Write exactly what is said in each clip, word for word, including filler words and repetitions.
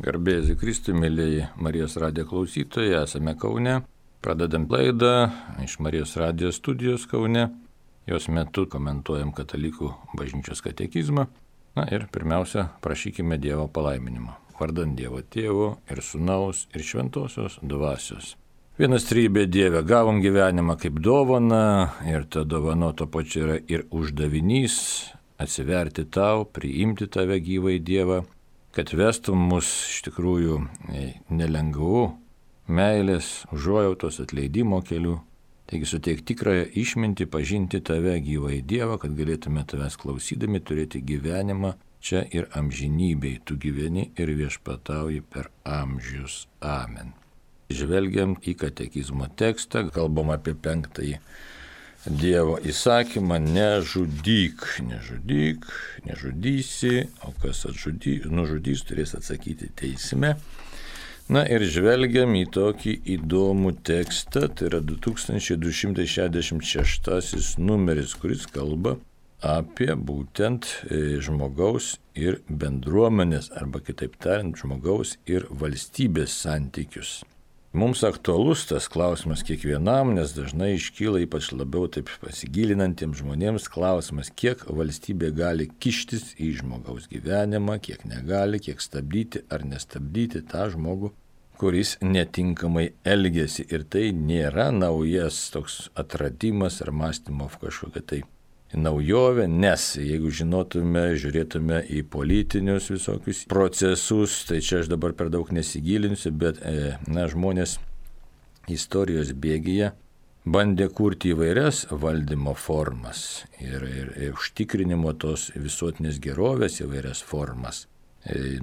Garbėsiu Kristui, mėlyji Marijos radijo klausytojai, esame Kaune. Pradedam laidą iš Marijos radijo studijos Kaune. Jos metu komentuojam katalikų bažnyčios katekizmą. Na ir pirmiausia, prašykime Dievo palaiminimo. Vardant Dievo Tėvo ir Sūnaus ir Šventosios Dvasios. Vienas trybė Dieve, gavom gyvenimą kaip dovaną ir ta dovana to pačiu yra ir uždavinys atsiverti tau, priimti tave gyvai Dievą, kad vestum mus iš tikrųjų nelengvų meilės, užuojautos, atleidimo kelių. Taigi suteik tikrąją išmintį pažinti tave gyvai Dievą, kad galėtume tavęs klausydami turėti gyvenimą čia ir amžinybėj. Tu gyveni ir viešpatauji per amžius. Amen. Žvelgiam į katekizmo tekstą, kalbam apie penktąjį Dievo įsakymą, nežudyk, nežudyk, nežudysi, o kas atžudy, nužudys, turės atsakyti teisme. Na ir žvelgiam į tokį įdomų tekstą, tai yra du tūkstančiai du šimtai šešiasdešimt šeštasis numeris, kuris kalba apie būtent žmogaus ir bendruomenės, arba kitaip tariant, žmogaus ir valstybės santykius. Mums aktualus tas klausimas kiekvienam, nes dažnai iškyla ypač labiau taip pasigilinantiems žmonėms klausimas, kiek valstybė gali kištis į žmogaus gyvenimą, kiek negali, kiek stabdyti ar nestabdyti tą žmogų, kuris netinkamai elgesi. Ir tai nėra naujas toks atradimas ar mąstymo kažkokia tai naujovė, nes jeigu žinotume, žiūrėtume į politinius visokius procesus, tai čia aš dabar per daug nesigilinsiu, bet na, žmonės istorijos bėgyje bandė kurti įvairias valdymo formas ir, ir, ir užtikrinimo tos visuotinės gerovės įvairias formas.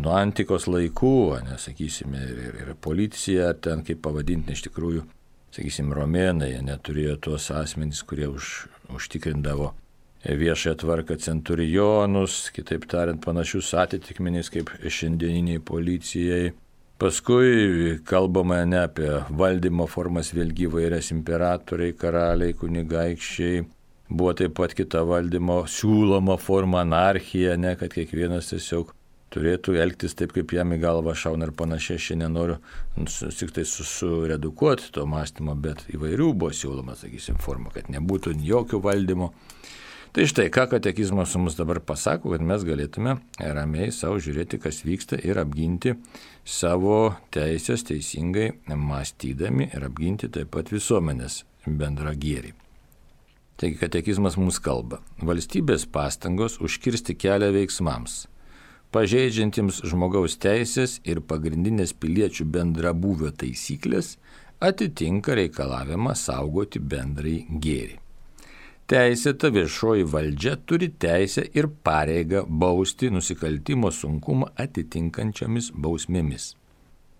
Nuo antikos laikų, nesakysime, ir, ir policija, ten kaip pavadinti, iš tikrųjų, sakysim, romėnai neturėjo tuos asmenys, kurie už, užtikrindavo viešąją tvarką, centurionus, kitaip tariant, panašius atitikmenys kaip šiandieniniai policijai. Paskui kalbama ne apie valdymo formas, vėlgi įvairias imperatoriai, karaliai, kunigaikščiai. Buvo taip pat kita valdymo siūloma forma, anarchija, ne, kad kiekvienas tiesiog turėtų elgtis taip, kaip jam į galvą šauna ir panašiai. Aš nenoriu tik tai suredukuoti to mąstymo, bet įvairių buvo siūloma, sakysim, forma, kad nebūtų jokio valdymo. Tai štai, ką katekizmas mums dabar pasako, kad mes galėtume ramiai savo žiūrėti, kas vyksta ir apginti savo teisės teisingai mąstydami ir apginti taip pat visuomenės bendrą gėrį. Taigi katekizmas mums kalba. Valstybės pastangos užkirsti kelią veiksmams, pažeidžiantiems žmogaus teisės ir pagrindinės piliečių bendrabūvio taisyklės, atitinka reikalavimą saugoti bendrai gėrį. Teisėta viešoji valdžia turi teisę ir pareigą bausti nusikaltimo sunkumą atitinkančiamis bausmėmis.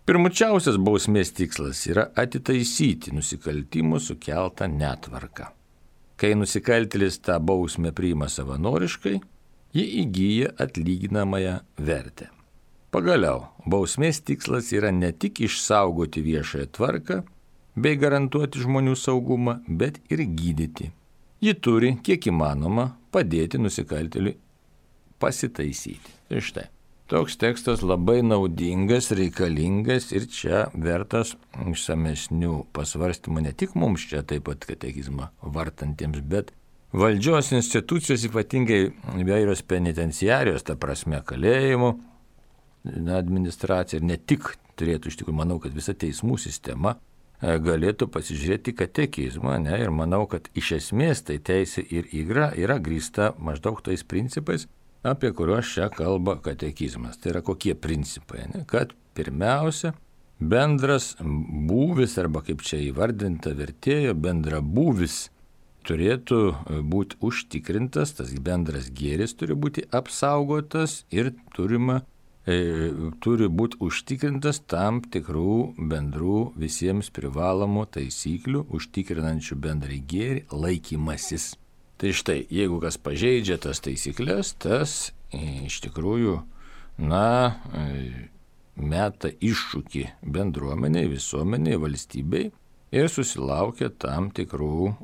Pirmučiausias bausmės tikslas yra atitaisyti nusikaltimo sukeltą netvarką. Kai nusikaltėlis tą bausmę priima savanoriškai, ji įgyja atlyginamąją vertę. Pagaliau, bausmės tikslas yra ne tik išsaugoti viešąją tvarką bei garantuoti žmonių saugumą, bet ir gydyti. Ji turi, kiek įmanoma, padėti nusikaltėliui pasitaisyti. Tai štai, toks tekstas labai naudingas, reikalingas ir čia vertas išsamesnių pasvarstymų ne tik mums čia taip pat katekizmą vartantiems, bet valdžios institucijos, ypatingai įvairios penitenciarijos, ta prasme kalėjimų administracija ir ne tik turėtų, iš tikrųjų, manau, kad visa teismų sistema galėtų pasižiūrėti katekizmą, ne, ir manau, kad iš esmės tai teisė ir yra, yra grįsta maždaug tais principais, apie kuriuos čia kalba katekizmas. Tai yra kokie principai, ne, kad pirmiausia, bendras būvis, arba kaip čia įvardinta vertėjo, bendra būvis turėtų būti užtikrintas, tas bendras gėris turi būti apsaugotas ir turima turi būti užtikrintas tam tikrų bendrų visiems privalomų taisyklių, užtikrinančių bendrai gėrį laikymasis. Tai štai, jeigu kas pažeidžia tas taisyklės, tas iš tikrųjų, na, meta iššūkį bendruomeniai, visuomeniai, valstybei ir susilaukia tam tikrų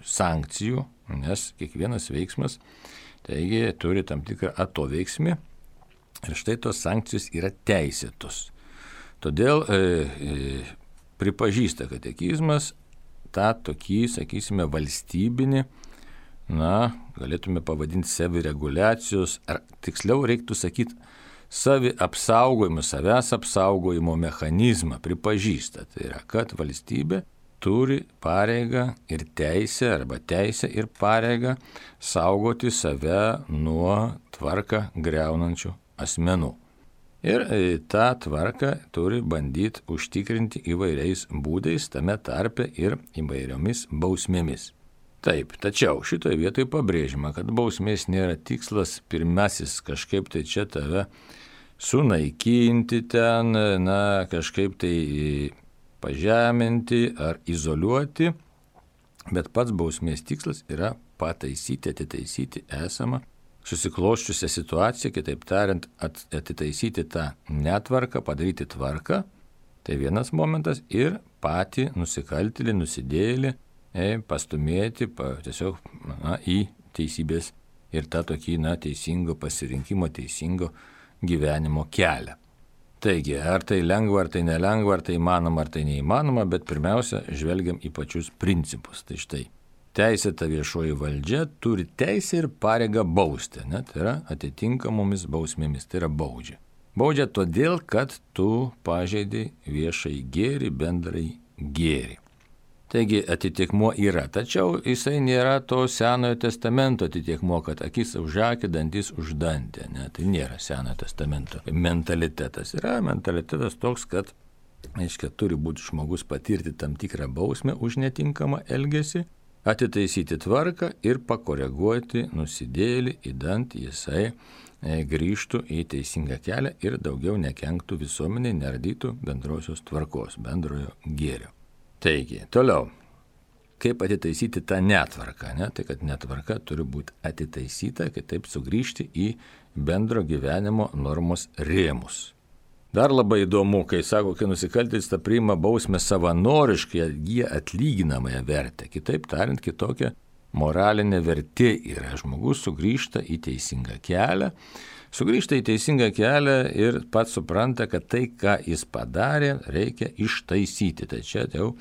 sankcijų, nes kiekvienas veiksmas, taigi, turi tam tikrą atoveiksmį. Ir štai tos sankcijos yra teisėtos. Todėl e, e, pripažįsta katekizmas tą tokį, sakysime, valstybinį, na, galėtume pavadinti savireguliacijos, ar tiksliau reiktų sakyti, savi apsaugojimo, savęs apsaugojimo mechanizmą pripažįsta. Tai yra, kad valstybė turi pareigą ir teisę, arba teisę ir pareigą saugoti save nuo tvarką greunančių asmenų. Ir tą tvarką turi bandyti užtikrinti įvairiais būdais, tame tarpe ir įvairiomis bausmėmis. Taip, tačiau šitoje vietoje pabrėžima, kad bausmės nėra tikslas pirmasis kažkaip tai čia tave sunaikinti ten, na, kažkaip tai pažeminti ar izoliuoti, bet pats bausmės tikslas yra pataisyti, atitaisyti esamą susikloščiusią situaciją, kitaip tariant, atitaisyti tą netvarką, padaryti tvarką, tai vienas momentas, ir patį nusikaltėlį, nusidėjėlį e, pastumėti pa, tiesiog na, į teisybės ir tą tokį na, teisingo pasirinkimo, teisingo gyvenimo kelią. Taigi, ar tai lengva, ar tai nelengva, ar tai įmanoma, ar tai neįmanoma, bet pirmiausia, žvelgiam į pačius principus. Tai štai, teisėta viešoji valdžia turi teisę ir pareigą bausti, ne? Tai yra atitinkamomis bausmėmis, tai yra baudžia. Baudžia todėl, kad tu pažeidai viešai gėrį, bendrai gėrį. Taigi atitikmuo yra, tačiau jisai nėra to Senojo testamento atitikmuo, kad akis už akį, dantis už dantį. Ne? Tai nėra Senojo testamento mentalitetas. Yra mentalitetas toks, kad, aiškiai, turi būti žmogus patirti tam tikrą bausmę už netinkamą elgesį, atitaisyti tvarką ir pakoreguoti nusidėjėlį, idant jisai grįžtų į teisingą kelią ir daugiau nekenktų visuomeniai, neardytų bendrosios tvarkos, bendrojo gėrio. Taigi, toliau, kaip atitaisyti tą netvarką, ne? Tai kad netvarka turi būti atitaisyta, kitaip sugrįžti į bendro gyvenimo normos rėmus. Dar labai įdomu, kai sako, kai nusikaltėlis tą priima bausmę savanoriškai, jie atlyginamąją vertę. Kitaip tariant, kitokia moralinė vertė yra. Žmogus sugrįžta į teisingą kelią, sugrįžta į teisingą kelią ir pats supranta, kad tai, ką jis padarė, reikia ištaisyti. Tai čia jau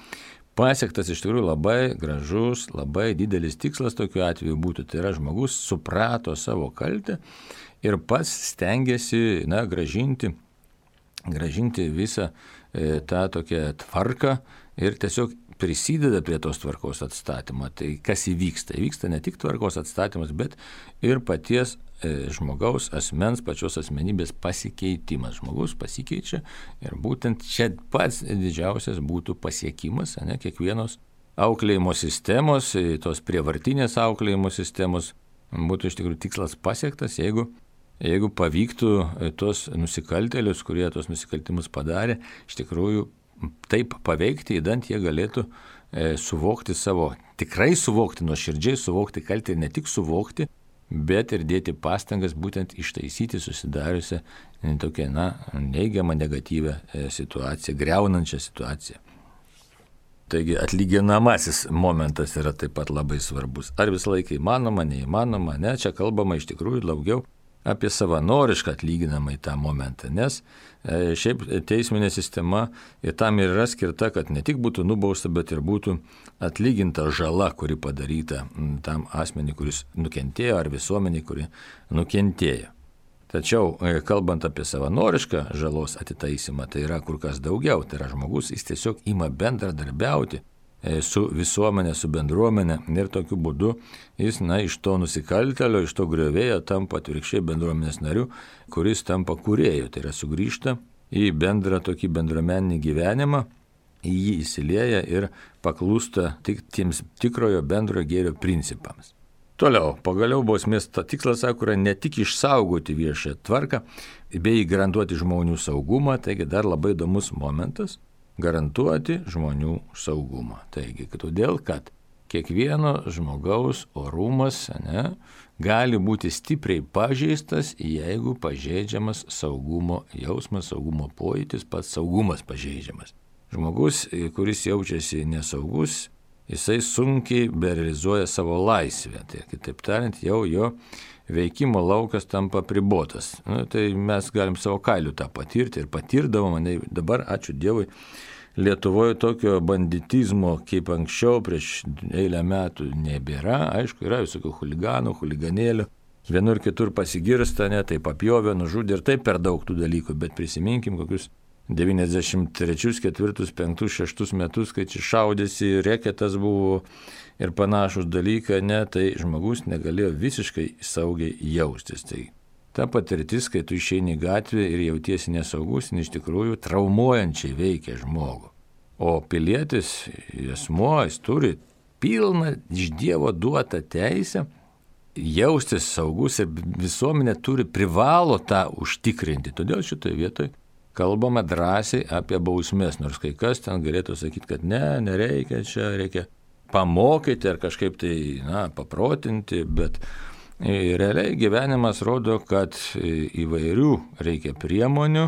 pasiektas iš tikrųjų labai gražus, labai didelis tikslas tokiu atveju būtų. Tai yra, žmogus suprato savo kaltę ir pats stengiasi, na, gražinti gražinti visą e, tą tokią tvarką ir tiesiog prisideda prie tos tvarkos atstatymo. Tai kas įvyksta? Įvyksta ne tik tvarkos atstatymas, bet ir paties e, žmogaus asmens, pačios asmenybės pasikeitimas. Žmogus pasikeičia ir būtent čia pats didžiausias būtų pasiekimas, ne, kiekvienos auklėjimo sistemos, tos prievartinės auklėjimo sistemos būtų iš tikrųjų tikslas pasiektas, jeigu Jeigu pavyktų tos nusikaltėlius, kurie tos nusikaltimus padarė, iš tikrųjų taip paveikti, įdant jie galėtų e, suvokti savo, tikrai suvokti, nuoširdžiai suvokti kaltę ir ne tik suvokti, bet ir dėti pastangas būtent ištaisyti susidariusią tokią, na, neigiamą, negatyvę e, situaciją, greunančią situaciją. Taigi atlyginamasis momentas yra taip pat labai svarbus. Ar visą laiką įmanoma, neįmanoma, ne, čia kalbama iš tikrųjų daugiau apie savanorišką atlyginamą į tą momentą, nes e, šiaip teisminė sistema ir tam yra skirta, kad ne tik būtų nubausta, bet ir būtų atlyginta žala, kuri padaryta tam asmeniui, kuris nukentėjo, ar visuomeniai, kuri nukentėjo. Tačiau, e, kalbant apie savanorišką žalos atitaisymą, tai yra kur kas daugiau, tai yra žmogus, jis tiesiog ima bendradarbiauti su visuomenė, su bendruomenė ir tokiu būdu jis, na, iš to nusikaltelio, iš to griovėjo tampa atvirkščiai bendruomenės nariu, kuris tampa kūrėju, tai yra sugrįžta į bendrą tokį bendruomeninį gyvenimą, į jį įsilieja ir paklūsta tik tiems tikrojo bendrojo gėrio principams. Toliau, pagaliau bausmės tikslas, sako, yra ne tik išsaugoti viešąją tvarką, bei garantuoti žmonių saugumą, taigi dar labai įdomus momentas, garantuoti žmonių saugumą. Taigi, todėl, kad kiekvieno žmogaus orumas, ne, gali būti stipriai pažeistas, jeigu pažeidžiamas saugumo jausmas, saugumo pojūtis, pats saugumas pažeidžiamas. Žmogus, kuris jaučiasi nesaugus, jisai sunkiai berealizuoja savo laisvę. Tai kitaip tariant, jau jo veikimo laukas tampa pribotas. Nu, tai mes galim savo kailiu tą patirti ir patirdavom, dabar, ačiū Dievui, Lietuvoje tokio banditizmo kaip anksčiau prieš eilę metų nebėra. Aišku, yra visokių chuliganų, chuliganėlių. Vienur kitur pasigirsta, ne, tai papjovė, nužudė ir taip per daug tų dalykų, bet prisiminkim kokius devyniasdešimt trečius, ketvirtus, penktus, šeštus metus, kai čia šaudėsi, reketas buvo ir panašus dalykai, ne, tai žmogus negalėjo visiškai saugiai jaustis. Tai ta patirtis, kai tu išeini į gatvę ir jautiesi nesaugus, iš tikrųjų traumuojančiai veikia žmogų. O pilietis, asmuo, jis turi pilną iš Dievo duotą teisę jaustis saugus ir visuomenė turi privalo tą užtikrinti. Todėl šitoje vietoje kalbame drąsiai apie bausmės, nors kai kas ten galėtų sakyti, kad ne, nereikia, čia reikia pamokyti ar kažkaip tai, na, paprotinti, bet realiai gyvenimas rodo, kad įvairių reikia priemonių,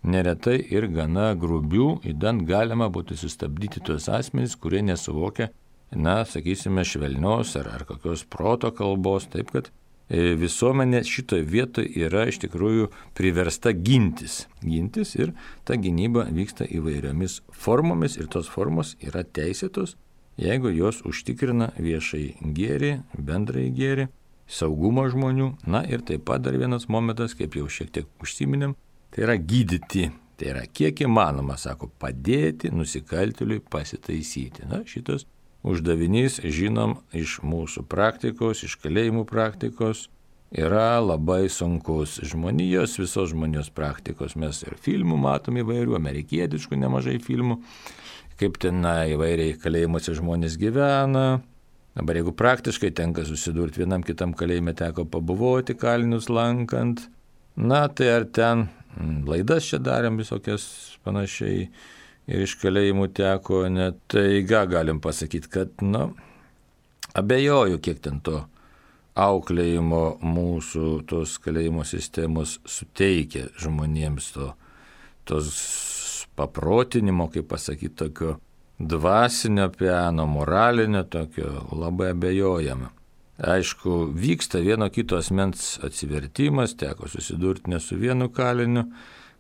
neretai ir gana grubių, įdant galima būtų sustabdyti tuos asmenys, kurie nesuvokia, na, sakysime, švelnios ar, ar kokios proto kalbos, taip kad visuomenė šitoje vietoje yra iš tikrųjų priversta gintis. Gintis ir ta gynyba vyksta įvairiomis formomis ir tos formos yra teisėtos, jeigu jos užtikrina viešai gėrį, bendrai gėrį, saugumo žmonių. Na ir taip pat dar vienas momentas, kaip jau šiek tiek užsiminėm, tai yra gydyti. Tai yra kiek įmanoma, sako, padėti nusikaltėliui pasitaisyti. Na, šitas uždavinys, žinom, iš mūsų praktikos, iš kalėjimų praktikos, yra labai sunkus. Žmonijos, visos žmonijos praktikos. Mes ir filmų matom įvairių, amerikietiškų nemažai filmų, kaip ten na, įvairiai kalėjimuose žmonės gyvena. Dabar jeigu praktiškai tenka susidurti, vienam kitam kalėjime teko pabuvoti kalinius lankant, na tai ar ten laidas čia darėm visokias panašiai ir iš kalėjimų teko, net tai ką galim pasakyti, kad, na, abejoju, kiek ten to auklėjimo mūsų tos kalėjimo sistemos suteikia žmonėms to, tos paprotinimo, kaip pasakyti, tokio dvasinio piano, moralinio tokio, labai abejojama. Aišku, vyksta vieno kito asmens atsivertimas, teko susidurti ne su vienu kaliniu,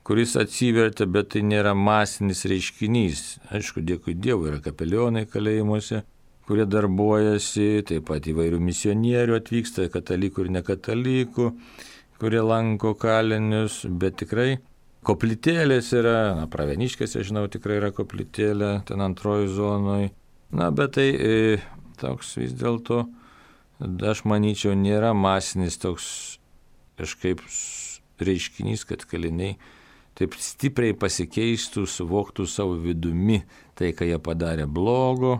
kuris atsivertė, bet tai nėra masinis reiškinys. Aišku, dėkui Dievui, yra kapelionai kalėjimuose, kurie darbuojasi, taip pat įvairių misionierių atvyksta, katalikų ir nekatalikų, kurie lanko kalinius, bet tikrai koplytėlės yra, na, Pravieniškėse, žinau, tikrai yra koplytėlė, ten antroji zonoje. Na, bet tai e, toks vis dėlto, aš manyčiau, nėra masinis toks kažkaip reiškinys, kad kaliniai taip stipriai pasikeistų, suvoktų savo vidumi tai, ką jie padarė blogo.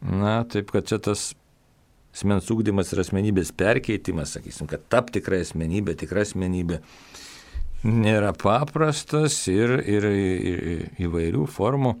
Na, taip, kad čia tas asmens ugdymas ir asmenybės perkeitimas, sakysim, kad tap tikra asmenybė, tikra asmenybė, nėra paprastas ir, ir, ir įvairių formų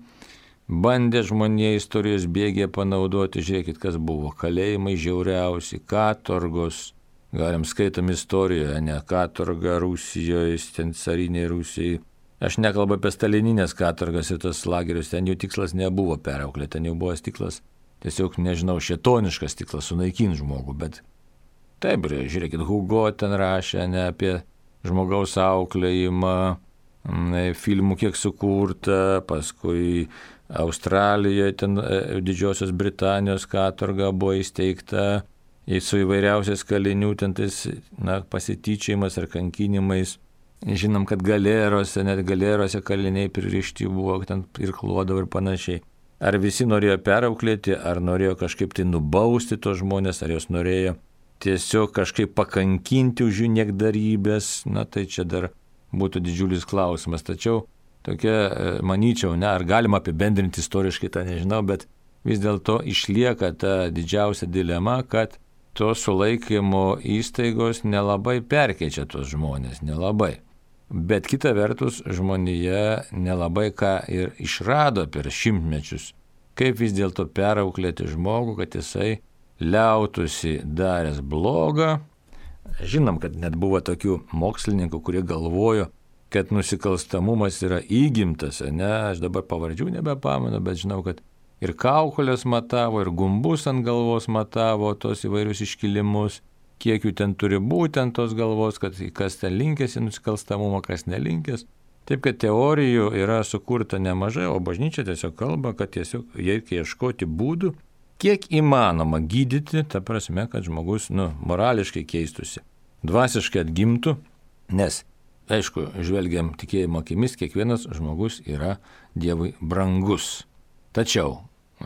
bandė žmonija istorijos bėgėje panaudoti. Žiūrėkit, kas buvo. Kalėjimai žiauriausi, katorgos, galim skaitom istorijoje, ne, katorga Rusijoje, ten carinėje Rusijoje. Aš nekalbu apie stalininės katorgas ir tos lagerius, ten jų tikslas nebuvo perauklėti, ten jau buvo tikslas, tiesiog, nežinau, šėtoniškas tikslas sunaikinti žmogų, bet taip, žiūrėkit, Hugo ten rašė ne apie žmogaus auklėjimą, filmų kiek sukurta, paskui Australijoje, ten Didžiosios Britanijos katorga buvo įsteigta, su įvairiausiais kalinių, ten tais, na, pasityčiajimas ar kankinimais. Žinom, kad galerose, net galerose kaliniai pririšti buvo, ten irkluodavo ir panašiai. Ar visi norėjo perauklėti, ar norėjo kažkaip tai nubausti tos žmonės, ar jos norėjo tiesiog kažkaip pakankinti už jų niekdarybės, na tai čia dar būtų didžiulis klausimas. Tačiau tokia, manyčiau, ne, ar galima apibendrinti istoriškai, tą nežinau, bet vis dėlto išlieka ta didžiausia dilema, kad tos sulaikymo įstaigos nelabai perkeičia tos žmonės, nelabai. Bet kita vertus, žmonija nelabai ką ir išrado per šimtmečius, kaip vis dėlto perauklėti žmogų, kad jisai liautųsi daręs blogą. Žinom, kad net buvo tokių mokslininkų, kurie galvojo, kad nusikalstamumas yra įgimtas, ne, aš dabar pavardžių nebepamenu, bet žinau, kad ir kaukolės matavo, ir gumbus ant galvos matavo, tos įvairius iškilimus, kiek jų ten turi būti ant tos galvos, kad kas ten linkęs į nusikalstamumą, kas nelinkęs. Taip, kad teorijų yra sukurta nemažai, o bažnyčia tiesiog kalba, kad tiesiog reikia ieškoti būdų, kiek įmanoma gydyti, ta prasme, kad žmogus, nu, morališkai keistųsi, dvasiškai atgimtų, nes, aišku, žvelgiam tikėjimo akimis, kiekvienas žmogus yra Dievui brangus. Tačiau,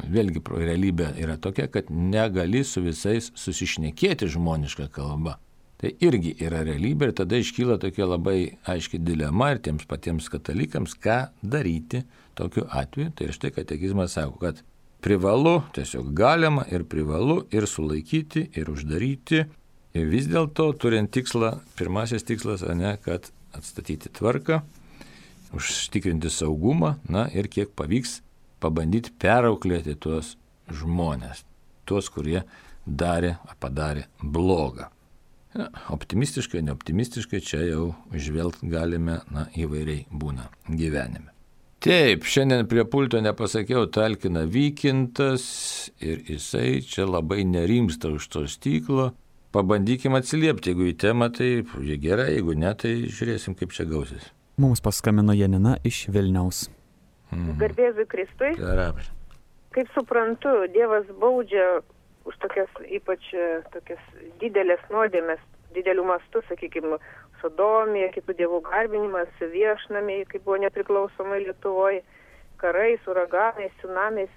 vėlgi, realybė yra tokia, kad negali su visais susišnekėti žmonišką kalbą. Tai irgi yra realybė ir tada iškyla tokia labai aiški dilema ir tiems patiems katalikams, ką daryti tokiu atveju. Tai štai katekizmas sako, kad privalu, tiesiog galima ir privalu ir sulaikyti, ir uždaryti. Ir vis dėlto turint tikslą, pirmasis tikslas, ne, kad atstatyti tvarką, užtikrinti saugumą, na ir kiek pavyks pabandyti perauklėti tuos žmonės, tuos, kurie darė ar padarė blogą. Ja, optimistiškai, neoptimistiškai čia jau žvelgt galime, na, įvairiai būna gyvenime. Taip, šiandien prie pulto nepasakiau, talkina Vykintas ir jisai čia labai nerimsta už to stiklo. Pabandykim atsiliepti, jeigu į temą, tai gerai, jeigu ne, tai žiūrėsim, kaip čia gausis. Mums paskambino Janina iš Vilniaus. Mhm. Garbėzui Kristui. Gerai. Kaip suprantu, Dievas baudžia už tokias, ypač tokias didelės nuodėmės, didelių mastų, sakykime, sodomija, kitų dievų garbinimas, viešnamiai, kaip buvo nepriklausomai Lietuvoje, karais, uraganais, tsunamiais,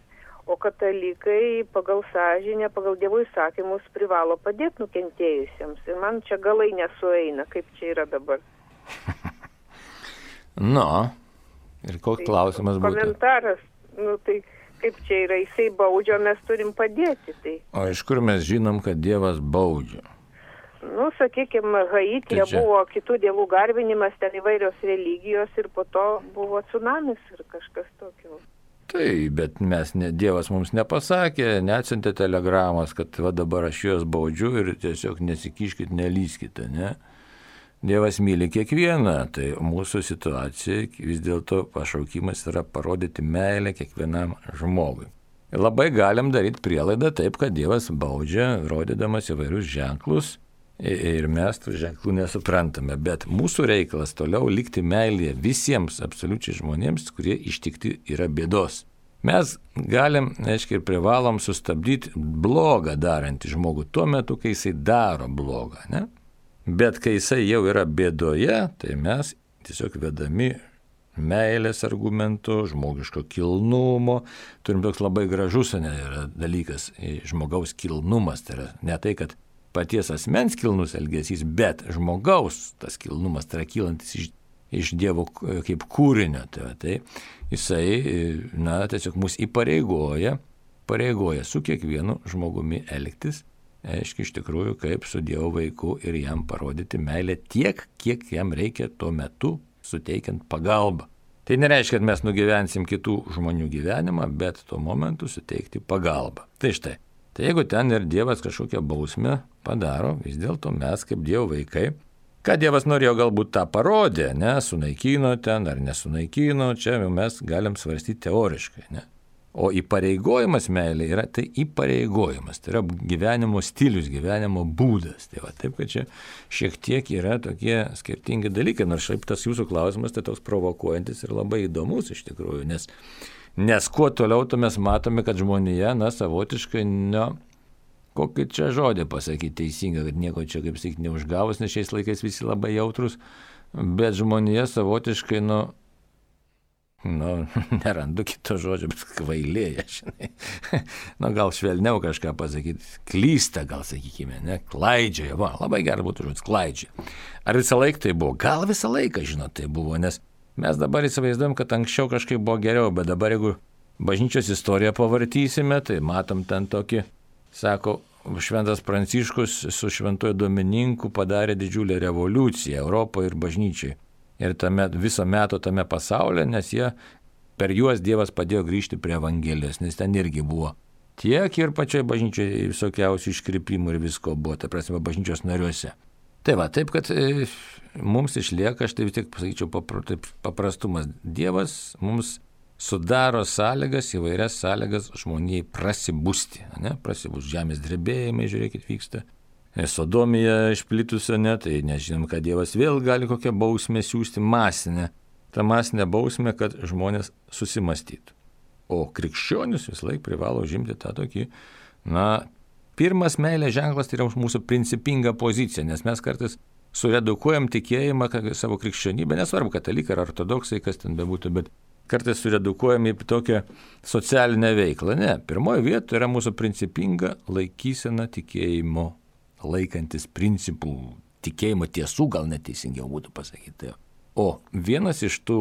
o katalikai pagal sąžinę, pagal dievų įsakymus privalo padėti nukentėjusiems. Ir man čia galai nesueina, kaip čia yra dabar. Nu, ir koks tai, klausimas būtų? Komentaras, nu tai... Kaip čia yra, jisai baudžia, mes turim padėti. Tai. O iš kur mes žinom, kad Dievas baudžia? Nu, sakykime, Haityje čia... buvo kitų dievų garbinimas, ten įvairios religijos ir po to buvo tsunamis ir kažkas tokio. Tai, bet mes, ne, Dievas mums nepasakė, neatsiuntė telegramas, kad va dabar aš juos baudžiu ir tiesiog nesikiškit, nelyskite, ne? Dievas myli kiekvieną, tai mūsų situacija vis dėlto pašaukimas yra parodyti meilę kiekvienam žmogui. Ir labai galim daryti prielaidą taip, kad Dievas baudžia, rodydamas įvairius ženklus ir mes tų ženklų nesuprantame. Bet mūsų reikalas toliau likti meilėje visiems absoliučiai žmonėms, kurie ištikti yra bėdos. Mes galim, aiškiai, ir privalom sustabdyti blogą darantį žmogų tuo metu, kai jisai daro blogą, ne? Bet kai jisai jau yra bėdoje, tai mes tiesiog vedami meilės argumentų, žmogiško kilnumo, turim toks labai gražus ne, yra dalykas, žmogaus kilnumas, tai yra ne tai, kad paties asmens kilnus elgesys, bet žmogaus tas kilnumas, tai yra kylantis iš, iš Dievo kaip kūrinio, tai, tai jisai, na, tiesiog mus įpareigoja, pareigoja su kiekvienu žmogumi elgtis, aiškiai, iš tikrųjų, kaip su Dievo vaiku ir jam parodyti meilę tiek, kiek jam reikia tuo metu, suteikiant pagalbą. Tai nereiškia, kad mes nugyvensim kitų žmonių gyvenimą, bet tuo momentu suteikti pagalbą. Tai štai, tai jeigu ten ir Dievas kažkokią bausmę padaro, vis dėlto mes kaip Dievo vaikai, ką Dievas norėjo galbūt tą parodė, ne, sunaikino ten ar nesunaikino, čia mes galim svarstyti teoriškai, ne. O įpareigojimas meilė yra tai įpareigojimas, tai yra gyvenimo stilius, gyvenimo būdas. Tai va, taip, kad čia šiek tiek yra tokie skirtingi dalykai, nors šiaip tas jūsų klausimas tai toks provokuojantis ir labai įdomus iš tikrųjų, nes, nes kuo toliau, to mes matome, kad žmonija, na, savotiškai, na, kokį čia žodį pasakyti teisinga, kad nieko čia, kaip sakyti, neužgavus, nes šiais laikais visi labai jautrus, bet žmonija savotiškai, nu, nu, nerandu kito žodžio, bet kvailėja, žinai. Nu, gal švelniau kažką pasakyti, klysta, gal sakykime, ne, klaidžioja, va, labai gerai būtų žodis, klaidžioja. Ar visą laiką tai buvo? Gal visą laiką, žinot, tai buvo, nes mes dabar įsivaizduojam, kad anksčiau kažkaip buvo geriau, bet dabar, jeigu bažnyčios istoriją pavartysime, tai matom ten tokį, sako, Šventas Pranciškus su šventuoju Domininku padarė didžiulę revoliuciją Europoje ir bažnyčiai. Ir tame, viso meto tame pasaulyje, nes jie, per juos Dievas padėjo grįžti prie Evangelijos, nes ten irgi buvo tiek ir pačioj bažnyčioje visokiausių iškrypimų ir visko buvo, tai prasme, bažnyčios nariuose. Tai va, taip, kad e, mums išlieka, aš tai vis tiek pasakyčiau, papra, taip, paprastumas. Dievas mums sudaro sąlygas, įvairias sąlygas žmonijai prasibusti, ne, prasibus žemės drebėjimai, žiūrėkit, vyksta. Sodomija išplitusio, ne, tai nežinom, kad Dievas vėl gali kokią bausmę siūsti masinę. Ta masinė bausmė, kad žmonės susimastytų. O krikščionis vis laik privalo žimti tą tokį, na, pirmas meilės ženklas tai yra mūsų principinga pozicija, nes mes kartais suredukuojam tikėjimą savo krikščionybę, nesvarbu, katalikai ar ortodoksai, kas ten bebūtų, bet kartais suredukuojam į tokią socialinę veiklą. Ne, pirmoje vietoje yra mūsų principinga laikysena tikėjimo, laikantis principų, tikėjimo tiesų, gal neteisingiau būtų pasakyti. O vienas iš tų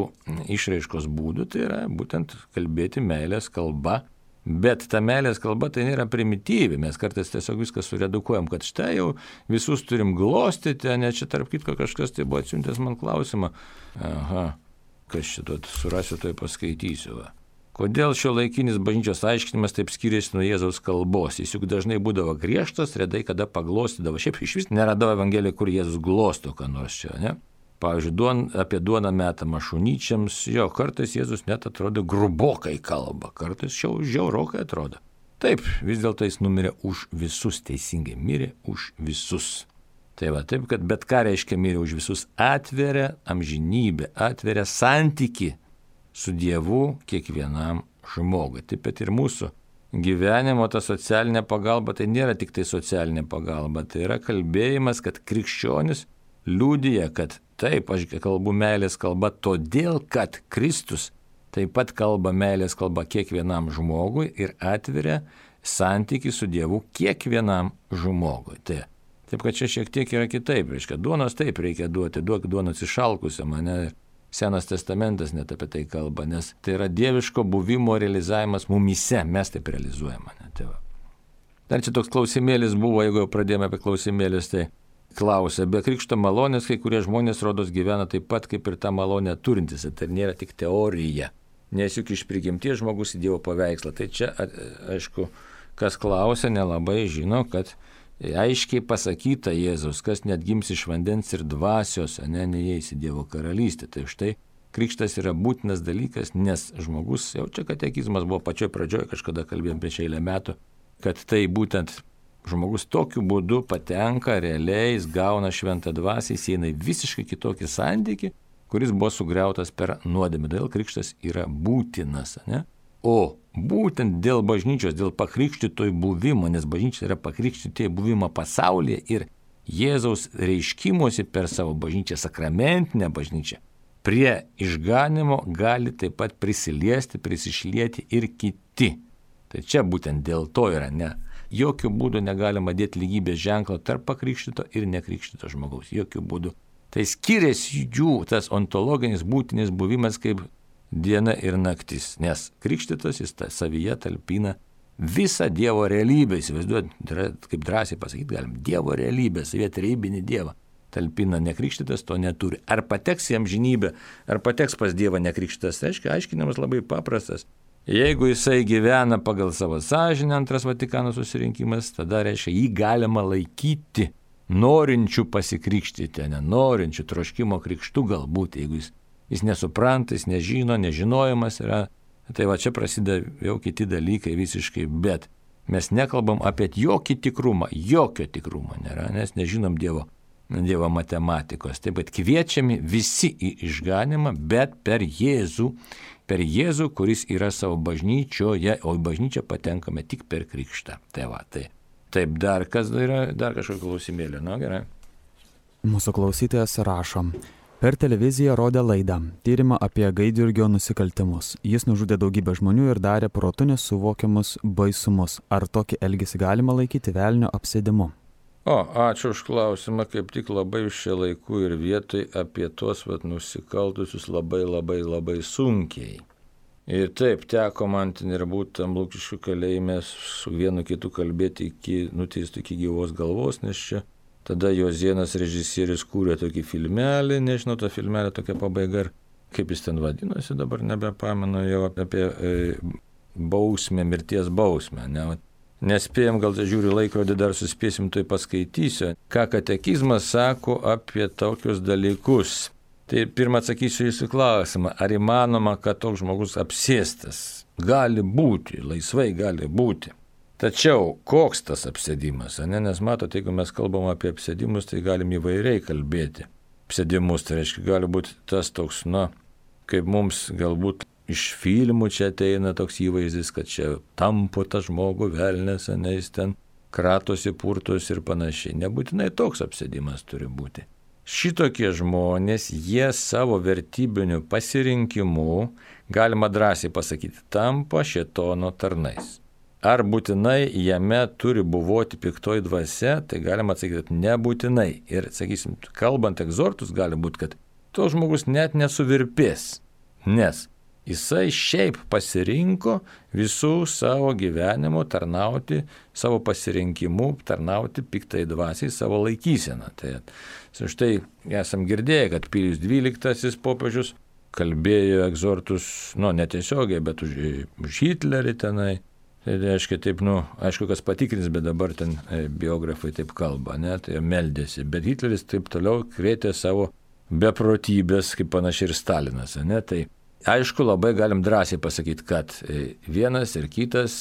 išraiškos būdų tai yra būtent kalbėti meilės kalba, bet ta meilės kalba tai nėra primityvi, mes kartais tiesiog viską suredukuojam, kad štai jau visus turim glostyti, ne čia tarp kitko kažkas tai buvo atsiuntęs man klausimą. Aha, kas šito surasiu, tai paskaitysiu. Va. Kodėl šio laikinis bažnyčios aiškinimas taip skiriasi nuo Jėzaus kalbos? Jis juk dažnai būdavo griežtas, redai kada paglostydavo. Šiaip iš vis neradau Evangeliją, kur Jėzus glosto ką nors čia, ne? Pavyzdžiui, duon, apie duoną metamą šunyčiams, jo, kartais Jėzus net atrodo grubokai kalba, kartais jau žiaurokai atrodo. Taip, vis dėlto jis numirė už visus, teisingai mirė už visus. Tai va, taip, kad bet ką reiškia mirė už visus, atveria amžinybę, atveria santyki su Dievu kiekvienam žmogui. Taip pat ir mūsų gyvenimo ta socialinė pagalba, tai nėra tik tai socialinė pagalba, tai yra kalbėjimas, kad krikščionis liudija, kad taip, aš kalbu meilės kalba, todėl, kad Kristus taip pat kalba meilės kalba kiekvienam žmogui ir atveria santyki su Dievu kiekvienam žmogui. Tai, taip, kad čia šiek tiek yra kitaip, reiškia, duonos taip reikia duoti, duok duonos išalkusią mane. Senas testamentas net apie tai kalba, nes tai yra dieviško buvimo realizavimas mumyse, mes taip realizuojame. Ne, tai va. Dar čia toks klausimėlis buvo, jeigu jau pradėjome apie klausimėlis, tai klausia, be krikšto malonės kai kurie žmonės rodos gyvena taip pat kaip ir tą malonę turintis, tai nėra tik teorija, nes juk iš prigimties žmogus į Dievo paveikslą. Tai čia, aišku, kas klausia, nelabai žino, kad aiškiai pasakyta Jėzus, kas net gims iš vandens ir dvasios, ne, neįeis į Dievo karalystę. Tai štai krikštas yra būtinas dalykas, nes žmogus, jau čia katekizmas buvo pačioj pradžioje, kažkada kalbėjom prieš eilę metų, kad tai būtent žmogus tokiu būdu patenka, realiai jis gauna šventą dvasią, jis eina į visiškai kitokį santykį, kuris buvo sugriautas per nuodėmę. Todėl krikštas yra būtinas, ne? O būtent dėl bažnyčios, dėl pakrikštytojų buvimo, nes bažnyčia yra pakrikštytojų buvimo pasaulyje ir Jėzaus reiškimuose per savo bažnyčią, sakramentinę bažnyčią, prie išganimo gali taip pat prisiliesti, prisišlieti ir kiti. Tai čia būtent dėl to yra, ne. Jokių būdų negalima dėti lygybės ženklo tarp pakrikštyto ir nekrikštyto žmogaus. Jokių būdų. Tai skiriasi jų tas ontologinis būtinis buvimas kaip diena ir naktis, nes krikštytas jis savyje talpina visą Dievo realybę, įsivaizduojat, kaip drąsiai pasakyti galim, Dievo realybę, savyje trejybinį Dievą talpina, nekrikštytas to neturi. Ar pateks į amžinybę, ar pateks pas Dievą nekrikštytas, reiškia, aiškinimas labai paprastas. Jeigu jisai gyvena pagal savo sąžinę, antras Vatikano susirinkimas, tada reiškia, jį galima laikyti norinčių pasikrikštyti, nenorinčių troškimo krikštų galbūt, jeigu jis Jis nesupranta, jis nežino, nežinojimas yra. Tai va čia prasideda jau kiti dalykai visiškai, bet mes nekalbam apie jokį tikrumą, jokio tikrumo nėra, nes nežinom Dievo, Dievo matematikos. Taip pat kviečiami visi į išganimą, bet per Jėzų, per Jėzų, kuris yra savo bažnyčioje, o į bažnyčią patenkame tik per krikštą. Tai va, tai. Taip, dar kas yra, dar kažkokio klausimėlio, nu gerai. Mūsų klausytojas rašo. Per televiziją rodė laidą, tyrimą apie Gaidjurgio nusikaltimus. Jis nužudė daugybę žmonių ir darė protu nesuvokiamus baisumus. Ar tokį elgesį galima laikyti velnio apsėdimu? O, ačiū už klausimą, kaip tik labai šią laikų ir vietoj apie tuos vat, nusikaltusius labai labai labai sunkiai. Ir taip, teko man ten ir būti tam Lukiškių kalėjime su vienu kitu kalbėti iki nuteistų iki gyvos galvos, nes čia tada Jozėnas režisierius kūrė tokį filmelį, nežinau, tą filmelį tokia pabaiga, kaip jis ten vadinosi, dabar nebepamenu jau apie e, bausmę, mirties bausmę. Ne? Nespėjom, gal tai žiūriu laikrodį, dar suspėsim, tai paskaitysiu, ką katekizmas sako apie tokius dalykus. Tai pirmą atsakysiu jūsų klausimą, ar įmanoma, kad toks žmogus apsėstas gali būti, laisvai gali būti. Tačiau koks tas apsėdimas, ne? Nes matote, jeigu mes kalbam apie apsėdimus, tai galim įvairiai kalbėti. Apsėdimus, tai reiškia, gali būti tas toks, na, kaip mums galbūt iš filmų čia ateina toks įvaizdis, kad čia tampo tą žmogų velnės, ne, jis ten kratosi, purtosi ir panašiai. Nebūtinai toks apsėdimas turi būti. Šitokie žmonės, jie savo vertybiniu pasirinkimu, galima drąsiai pasakyti, tampa šėtono tarnais. Ar būtinai jame turi buvoti piktoji dvasia, tai galima atsakyti, kad nebūtinai. Ir, sakysim, kalbant egzortus, gali būti, kad to žmogus net nesuvirpės, nes jisai šiaip pasirinko visų savo gyvenimo tarnauti, savo pasirinkimu tarnauti piktai dvasiai savo laikyseną. Tai štai esam girdėję, kad Pijus dvyliktasis popiežius kalbėjo egzortus, nu, netiesiogiai, bet už, už Hitlerį tenai. Tai reiškia taip, nu, aišku, kas patikrins, bet dabar ten biografai taip kalba, ne, tai meldėsi. Bet Hitleris taip toliau krėtė savo beprotybės, kaip panašiai ir Stalinas, ne, tai aišku, labai galim drąsiai pasakyti, kad vienas ir kitas,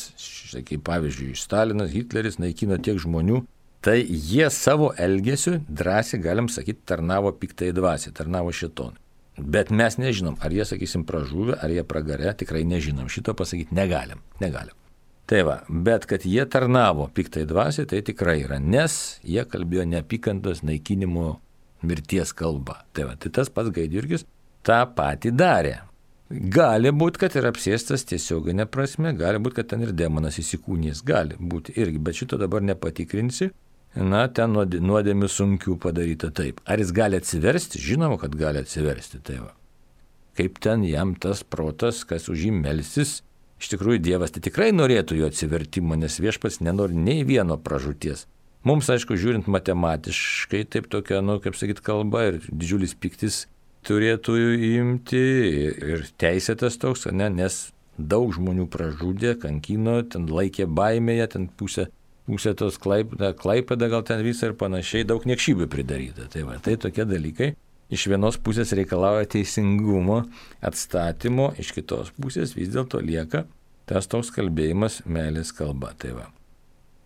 kaip pavyzdžiui, Stalinas, Hitleris naikino tiek žmonių, tai jie savo elgesiu drąsiai, galim sakyti, tarnavo piktai dvasiai, tarnavo šėtonui. Bet mes nežinom, ar jie, sakysim, pražuvę, ar jie pragare, tikrai nežinom. Šito pasakyti negalim, negalim. Tai va, bet kad jie tarnavo piktai dvasiai, tai tikrai yra, nes jie kalbėjo neapykantos naikinimo mirties kalba. Tai va, tai tas pats Gaidjurgis tą patį darė. Gali būti, kad ir apsėstas tiesioginė prasme, gali būti, kad ten ir demonas įsikūnys, gali būti irgi, bet šito dabar nepatikrinsi. Na, ten nuodėmių sunkių padaryta taip. Ar jis gali atsiversti? Žinoma, kad gali atsiversti. Tai va. Kaip ten jam tas protas, kas už jį melsis, iš tikrųjų Dievas tai tikrai norėtų jo atsivertimo, nes viešpats nenori nei vieno pražūties. Mums, aišku, žiūrint matematiškai, taip tokia, nu, kaip sakyt, kalba ir didžiulis piktis turėtų imti ir teisėtas toks, ne, nes daug žmonių pražudė, kankino, ten laikė baimėje, ten pusę, pusę tos Klaipėda, Klaipėda gal ten visą ir panašiai, daug niekšybių pridaryta. Tai va, tai tokie dalykai iš vienos pusės reikalauja teisingumo, atstatymo, iš kitos pusės vis dėlto lieka tas toks kalbėjimas meilės kalba. Tai va.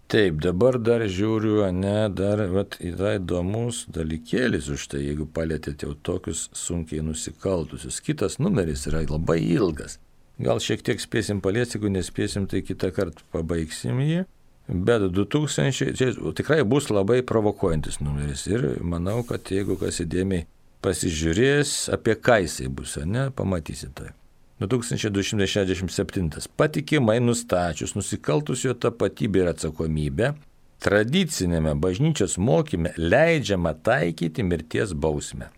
Taip, dabar dar žiūriu, ne, dar vat, yra įdomus dalykėlis už tai, jeigu palėtėte jau tokius sunkiai nusikaltusius. Kitas numeris yra labai ilgas. Gal šiek tiek spėsim paliesti, jeigu nespėsim, tai kitą kartą pabaigsim jį. Bet du tūkstančiai, čia tikrai bus labai provokuojantis numeris ir manau, kad jeigu kas įdėmiai pasižiūrės, apie ką jisai bus, ne, pamatysit tai. du tūkstančiai du šimtai šešiasdešimt septintas. Patikimai nustačius nusikaltusio tapatybę ir atsakomybę, tradicinėme bažnyčios mokyme leidžiama taikyti mirties bausmę,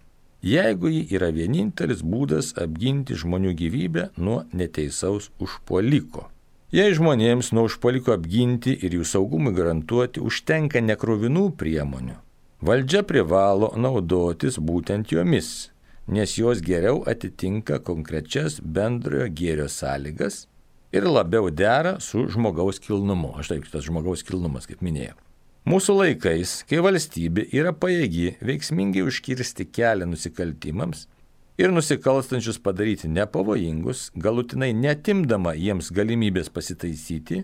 jeigu ji yra vienintelis būdas apginti žmonių gyvybę nuo neteisaus užpuoliko. Jei žmonėms nuo užpuoliko apginti ir jų saugumui garantuoti užtenka nekrovinų priemonių, valdžia privalo naudotis būtent jomis, nes jos geriau atitinka konkrečias bendrojo gėrio sąlygas ir labiau dera su žmogaus kilnumu. Aš taip, tas žmogaus kilnumas, kaip minėjau. Mūsų laikais, kai valstybė yra pajėgi veiksmingai užkirsti kelią nusikaltimams ir nusikalstančius padaryti nepavojingus, galutinai netimdama jiems galimybės pasitaisyti,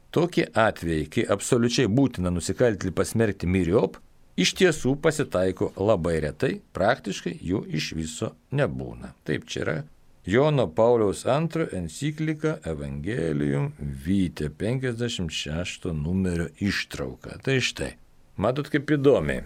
tokie atvejai, kai absoliučiai būtina nusikaltėlį pasmerkti myriop, iš tiesų pasitaiko labai retai, praktiškai jų iš viso nebūna. Taip, čia yra Jono Pauliaus antrojo enciklika Evangelium Vitae penkiasdešimt šešto numerio ištrauka. Tai štai, matot kaip įdomiai.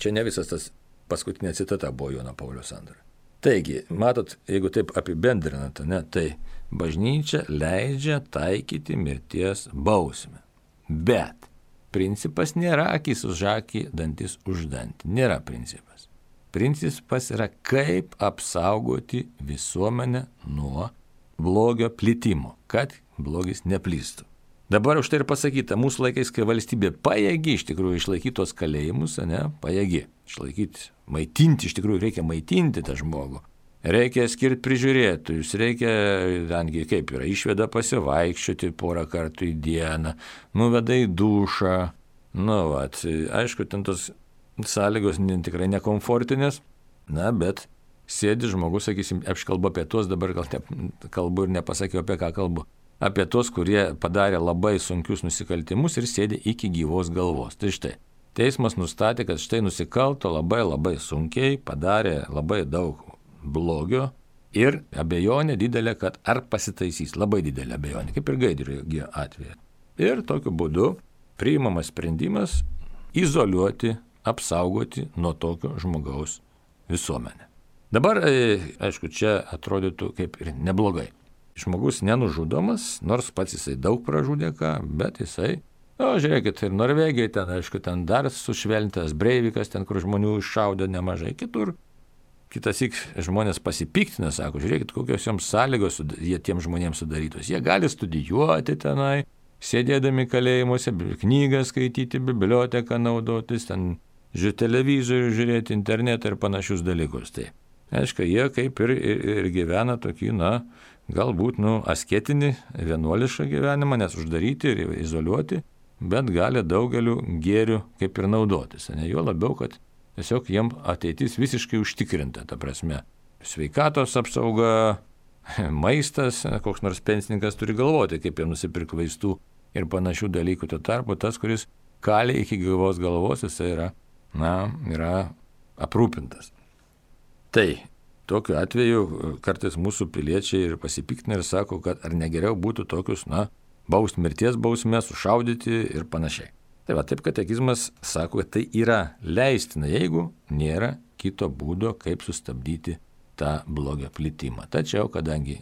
Čia ne visas tas paskutinė citata buvo Jono Pauliaus antrojo. Taigi, matot, jeigu taip apibendrinate, ne, tai bažnyčia leidžia taikyti mirties bausmę. Bet principas nėra akis už akį, dantis už dantį. Nėra principas. Principas yra, kaip apsaugoti visuomenę nuo blogio plitimo, kad blogis neplistų. Dabar už tai ir pasakyta, mūsų laikais, kai valstybė pajėgi iš tikrųjų išlaikyti tos kalėjimus, ne, pajėgi išlaikyti, maitinti, iš tikrųjų reikia maitinti tą žmogų. Reikia skirti prižiūrėtojus, reikia, netgi kaip yra, išveda pasivaikščioti porą kartų į dieną, nuveda į dušą. Nu, vat, aišku, ten tos sąlygos tikrai nekomfortinės, na, bet sėdi žmogus, sakysim, aš kalbu apie tuos, dabar gal ne, kalbu ir nepasakiau, apie ką kalbu. apie tos, kurie padarė labai sunkius nusikaltimus ir sėdė iki gyvos galvos. Tai štai, teismas nustatė, kad štai nusikalto labai labai sunkiai, padarė labai daug blogio ir abejonė didelė, kad ar pasitaisys, labai didelė abejonė, kaip ir Gaidjurgio atveju. Ir tokiu būdu priimamas sprendimas izoliuoti, apsaugoti nuo tokio žmogaus visuomenę. Dabar, aišku, čia atrodytų kaip ir neblogai. Žmogus nenužudomas, nors pats jisai daug pražudė ką, bet jisai, o žiūrėkit, ir Norvegijai ten, aišku, ten dar sušvelnintas Breivikas, ten, kur žmonių iššaudė nemažai, kitur. Kitas ik žmonės pasipiktina, sako, žiūrėkit, kokios joms sąlygos jie tiem žmonėms sudarytos. Jie gali studijuoti tenai, sėdėdami kalėjimuose, knygą skaityti, biblioteką naudotis, ten žiūrėti televizorių, žiūrėti internetą ir panašius dalykus. Tai, aišku, jie kaip ir, ir, ir gyvena tokį, na, galbūt, nu, asketinį, vienuolišką gyvenimą, nes uždaryti ir izoliuoti, bet gali daugeliu gėrių kaip ir naudotis. Ne jo labiau, kad tiesiog jiem ateitis visiškai užtikrinta, ta prasme, sveikatos apsauga, maistas, koks nors pensininkas turi galvoti, kaip jie nusipirkti vaistų ir panašių dalykų. Tuo tarpu tas, kuris kali iki gyvos galvos, jis yra, na, yra aprūpintas. Tai tokiu atveju kartais mūsų piliečiai ir pasipiktina ir sako, kad ar negeriau būtų tokius, na, baust mirties bausmę, sušaudyti ir panašiai. Tai va, taip katekizmas sako, kad tai yra leistina, jeigu nėra kito būdo, kaip sustabdyti tą blogio plitimą. Tačiau, kadangi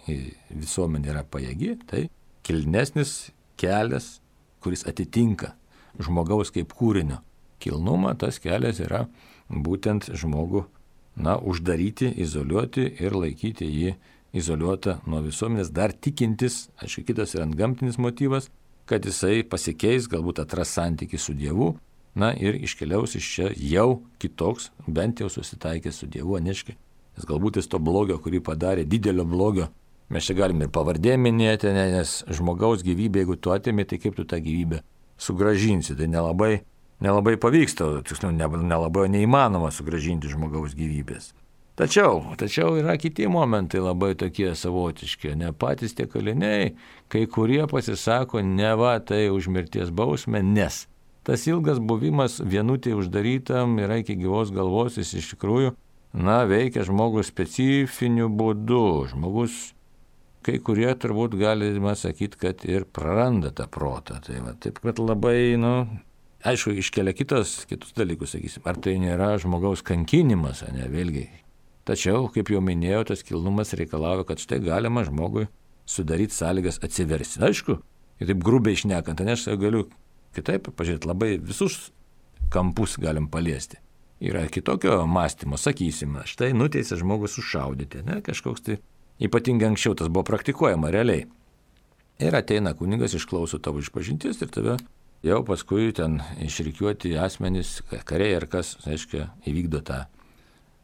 visuomenė yra pajėgi, tai kilnesnis kelias, kuris atitinka žmogaus kaip kūrinio kilnumą, tas kelias yra būtent žmogų, na, uždaryti, izoliuoti ir laikyti jį izoliuotą nuo visuomenės, dar tikintis, aišku, kitas yra antgamtinis motyvas, kad jisai pasikeis, galbūt atras santykį su Dievu, na ir iškeliaus iš čia jau kitoks, bent jau susitaikęs su Dievu, neškai. Nes galbūt jis to blogio, kurį padarė, didelio blogio, mes čia galime ir pavardė minėti, nes žmogaus gyvybė, jeigu tu atimi, tai kaip tu tą gyvybę sugražinsi, tai nelabai, nelabai pavyksta, tiksliau, nelabai neįmanoma sugražinti žmogaus gyvybės. Tačiau, tačiau yra kiti momentai labai tokie savotiški, ne patys tie kaliniai, kai kurie pasisako, ne va tai už mirties bausmę, nes tas ilgas buvimas vienutėje uždarytam yra iki gyvos galvos, jis iš tikrųjų, na, veikia žmogus specifiniu būdu. Žmogus, kai kurie turbūt galima sakyti, kad ir praranda tą protą. Tai va, taip, kad labai, nu, aišku, iškelia kitos, kitus dalykus, sakysim, ar tai nėra žmogaus kankinimas, ne, vėlgi. Tačiau, kaip jau minėjau, tas kilnumas reikalauja, kad štai galima žmogui sudaryti sąlygas atsiversti. Aišku, ir taip grubiai šnekant, nes aš galiu kitaip pažiūrėti, labai visus kampus galim paliesti. Yra kitokio mąstymo, sakysim, štai nuteisė žmogus sušaudyti, ne, kažkoks tai ypatingai anksčiau tas buvo praktikuojama realiai. Ir ateina kunigas, išklauso tavo išpažinties ir tave jau paskui ten išrikiuoti asmenys, kariai ar kas, aiškiai, įvykdo tą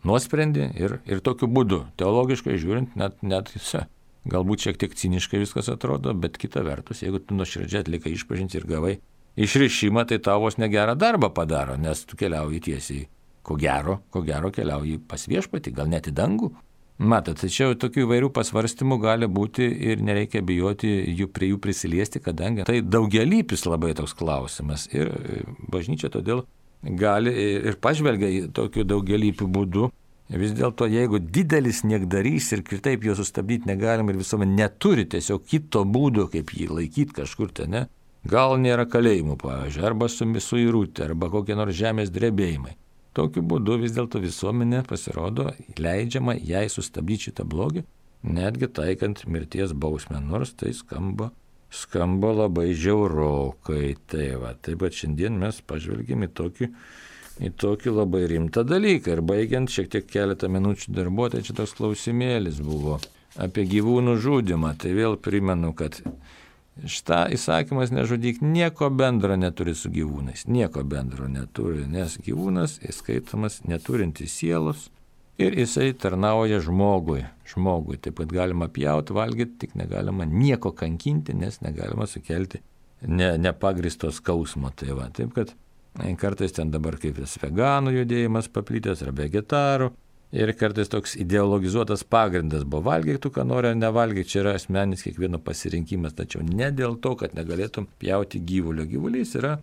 nuosprendį ir, ir tokiu būdu, teologiškai žiūrint, net, net galbūt šiek tiek ciniškai viskas atrodo, bet kita vertus, jeigu tu nuoširdžiai atlikai išpažinti ir gavai išrišimą, tai tavos negerą darbą padaro, nes tu keliauji tiesiai, ko gero, ko gero keliauji pas viešpatį, gal net į dangų. Matot, tačiau tokių įvairių pasvarstymų gali būti ir nereikia bijoti jų prie jų prisiliesti, kadangi tai daugialypis labai toks klausimas ir bažnyčia todėl gali ir pažvelgia į tokiu daugialypiu būdu. Vis dėlto, jeigu didelis niekdarys ir kitaip jo sustabdyti negalim ir visuomenė neturi tiesiog kito būdo, kaip jį laikyti kažkur ten, ne? Gal nėra kalėjimų, pavyzdžiui, arba suirutė, arba kokie nors žemės drebėjimai. Tokiu būdu vis dėlto visuomenė pasirodo leidžiama jai sustabdyti šitą blogį, netgi taikant mirties bausmę, nors tai skamba, skamba labai žiaurokai. Tai va, taip pat šiandien mes pažvelgėm į tokį, į tokį labai rimtą dalyką. Ir baigiant šiek tiek keletą minučių darbo, tai čia toks klausimėlis buvo apie gyvūnų žudymą. Tai vėl primenu, kad šitą įsakymas nežudyk nieko bendro neturi su gyvūnais, nieko bendro neturi, nes gyvūnas įskaitomas neturintis sielos ir jisai tarnauja žmogui, žmogui, taip pat galima pjauti, valgyti, tik negalima nieko kankinti, nes negalima sukelti ne, nepagristo skausmo. Tai va, taip kad kartais ten dabar kaip vis veganų judėjimas paplitęs ar vegetarų, Ir kartais toks ideologizuotas pagrindas buvo valgyk tu, ką nori ar nevalgyk, čia yra asmeninis kiekvieno pasirinkimas, tačiau ne dėl to, kad negalėtum pjauti gyvulio. Gyvulys yra,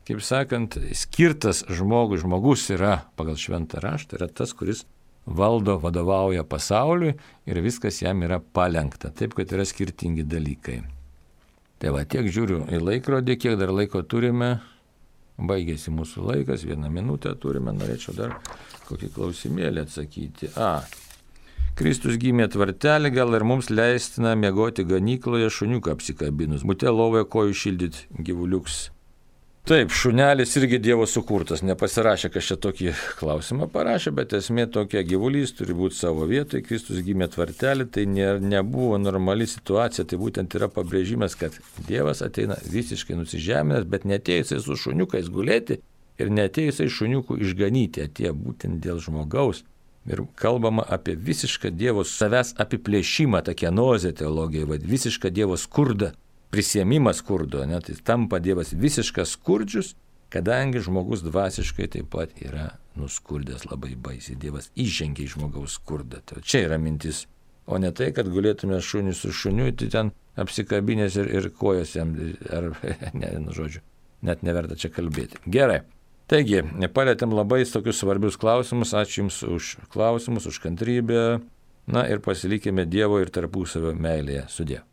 kaip sakant, skirtas žmogui, žmogus yra pagal šventą raštą, yra tas, kuris valdo, vadovauja pasauliui ir viskas jam yra palenkta, taip kad yra skirtingi dalykai. Tai va, tiek žiūriu į laikrodį, kiek dar laiko turime. Baigėsi mūsų laikas, vieną minutę turime, norėčiau dar kokį klausimėlį atsakyti. A, Kristus gimė tvartelį, gal ir mums leistina miegoti ganykloje šuniuką apsikabinus, bute lovoje kojų šildyti gyvuliuks. Taip, šunelis irgi Dievo sukurtas, nepasirašė, kas čia tokį klausimą parašė, bet esmė tokia, gyvulys turi būti savo vietoje, Kristus gimė tvartelį, tai ne, nebuvo normali situacija, tai būtent yra pabrėžimas, kad Dievas ateina visiškai nusižeminęs, bet neatėjusiai su šuniukais gulėti ir neatėjusiai šuniukų išganyti, atėjo būtent dėl žmogaus. Ir kalbama apie visišką Dievo savęs apiplėšimą, ta kenozė teologija, vad, visišką Dievo skurdą. Prisiėmimas skurdo, ne, tai tampa Dievas visiškas skurdžius, kadangi žmogus dvasiškai taip pat yra nuskurdęs labai baisiai. Dievas įžengia į žmogaus skurdą. Tai čia yra mintis. O ne tai, kad gulėtume šunį su šuniu, tai ten apsikabinės ir, ir kojas jam, ar, ne, nu žodžiu, net neverta čia kalbėti. Gerai. Taigi, palėtėm labai tokius svarbius klausimus. Ačiū Jums už klausimus, už kantrybę. Na ir pasilikime Dievo ir tarpusavio meilėje. Sudie.